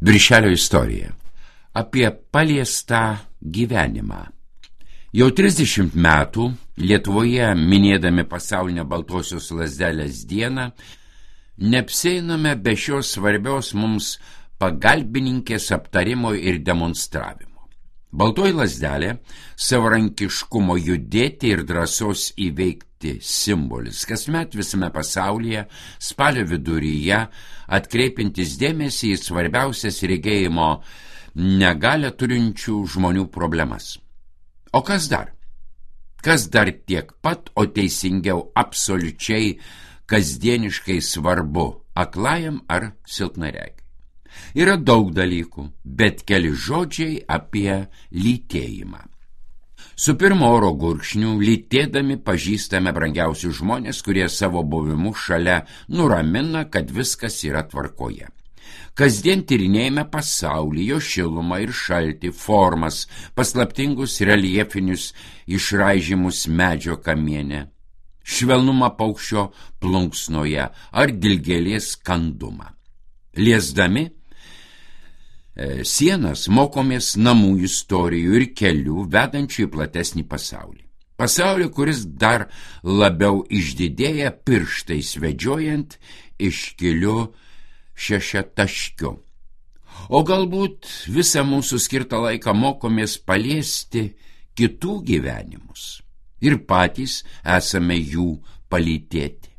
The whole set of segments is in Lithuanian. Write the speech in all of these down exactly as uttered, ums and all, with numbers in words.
Viršelio istorija. Apie paliestą gyvenimą. Jau trisdešimt metų Lietuvoje, minėdami pasaulinę baltosios lazdelės dieną, neapsieiname be šios svarbios mums pagalbininkės aptarimo ir demonstravimo. Baltoji lazdelė – savarankiškumo judėti ir drąsos įveikti simbolis. Kasmet visame pasaulyje, spalio viduryje, atkreipintis dėmesį į svarbiausias regėjimo negalią turinčių žmonių problemas. O kas dar? Kas dar tiek pat, o teisingiau absoliučiai kasdieniškai svarbu aklajam ar silpnaregiui? Yra daug dalykų, bet keli žodžiai apie lytėjimą. Su pirmo oro gurkšniu lytėdami pažįstame brangiausius žmonės, kurie savo buvimu šalia nuramina, kad viskas yra tvarkoje. Kasdien tyrinėjame pasaulį, jo šilumą ir šaltį, formas, paslaptingus reljefinius išraižymus medžio kamiene, švelnumą paukščio plunksnoje ar dilgėlės kandumą. Liesdami e, sienas mokomės namų istorijų ir kelių vedančių į platesnį pasaulį. Pasaulį, kuris dar labiau išdidėja pirštais vedžiojant iškiliu šešiataškiu. O galbūt visą mūsų skirtą laiką mokomės paliesti kitų gyvenimus ir patys esame jų palytėti.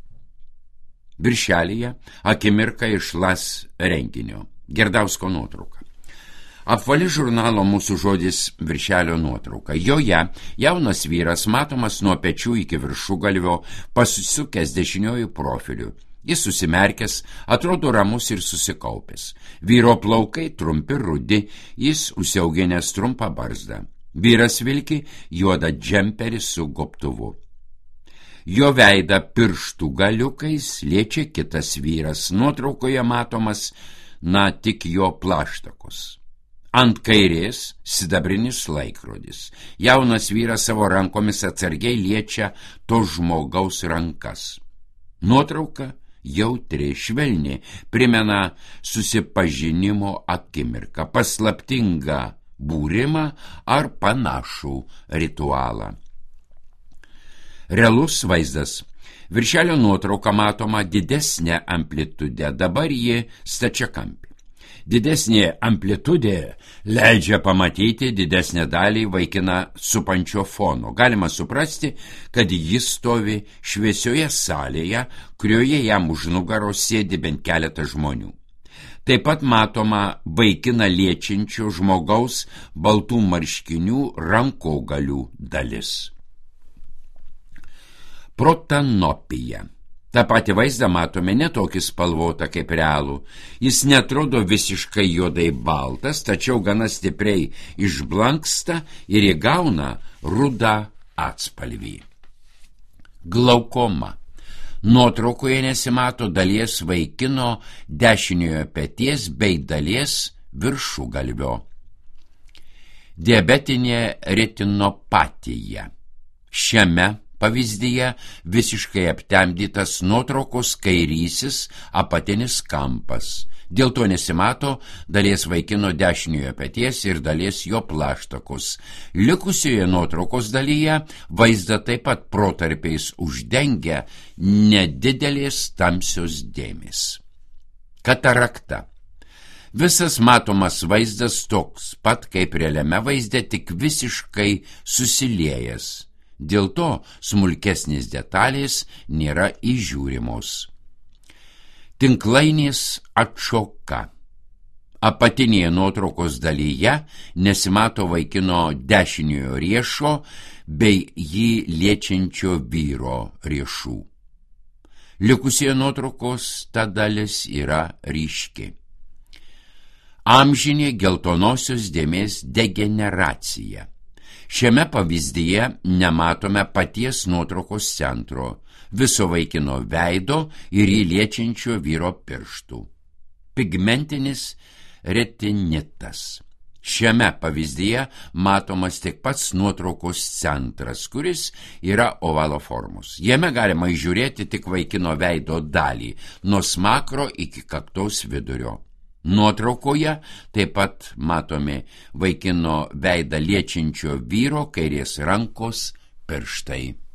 Viršelyje akimirka iš Las renginio. Gerdausko nuotrauka. Apvali žurnalo Mūsų žodis viršelio nuotrauka. Joje jaunas vyras matomas nuo pečių iki viršugalvio, pasisukęs dešiniojų profiliu. Jis susimerkęs, atrodo ramus ir susikaupęs. Vyro plaukai trumpi rudi, jis užsiauginęs trumpą barzdą. Vyras vilki juodą džemperį su gobtuvu. Jo veidą pirštų galiukais liečia kitas vyras. Nuotraukoje matomas, na, tik jo plaštakos. Ant kairės sidabrinis laikrodis. Jaunas vyras savo rankomis atsargiai liečia to žmogaus rankas. Nuotrauka jautri, švelni, primena susipažinimo akimirką, paslaptingą būrimą ar panašų ritualą. Realus vaizdas. Viršelio nuotrauka matoma didesnė amplitude, dabar ji stačiakampė. Didesnė amplitudė leidžia pamatyti didesnę dalį vaikiną supančio fono. Galima suprasti, kad jis stovi šviesioje salėje, kurioje jam už nugaros sėdi bent keletas žmonių. Taip pat matoma vaikiną liečiančio žmogaus baltų marškinių rankogalių dalis. Protanopija. Ta pati vaizdą matome ne tokį spalvotą kaip realų. Jis netrodo visiškai juodai baltas, tačiau gana stipriai išblanksta ir įgauna rudą atspalvį. Glaukoma. Nuotraukoje nesimato dalies vaikino dešiniojo peties bei dalies viršugalvio. Diabetinė retinopatija. Šiame pavyzdyje visiškai aptemdytas nuotraukos kairysis apatinis kampas. Dėl to nesimato dalies vaikino dešiniojo peties ir dalies jo plaštakos. Likusioje nuotraukos dalyje vaizdą taip pat protarpiais uždengia nedidelės tamsios dėmės. Katarakta. Visas matomas vaizdas toks pat kaip realiame vaizde, tik visiškai susiliejęs. Dėl to smulkesnės detalės nėra įžiūrimos. Tinklainės atšoka. Apatinėje nuotraukos dalyje nesimato vaikino dešiniojo riešo bei jį liečiančio vyro riešų. Likusioje nuotraukos ta dalis yra ryški. Amžinė geltonosios dėmės degeneracija. Šiame pavyzdyje nematome paties nuotraukos centro, viso vaikino veido ir jį liečiančio vyro pirštų. Pigmentinis retinitas. Šiame pavyzdyje matomas tik pats nuotraukos centras, kuris yra ovalo formos. Jame galima įžiūrėti tik vaikino veido dalį, nuo smakro iki kaktos vidurio. Nuotraukoje taip pat matomi vaikino veidą liečiančio vyro kairės rankos pirštai.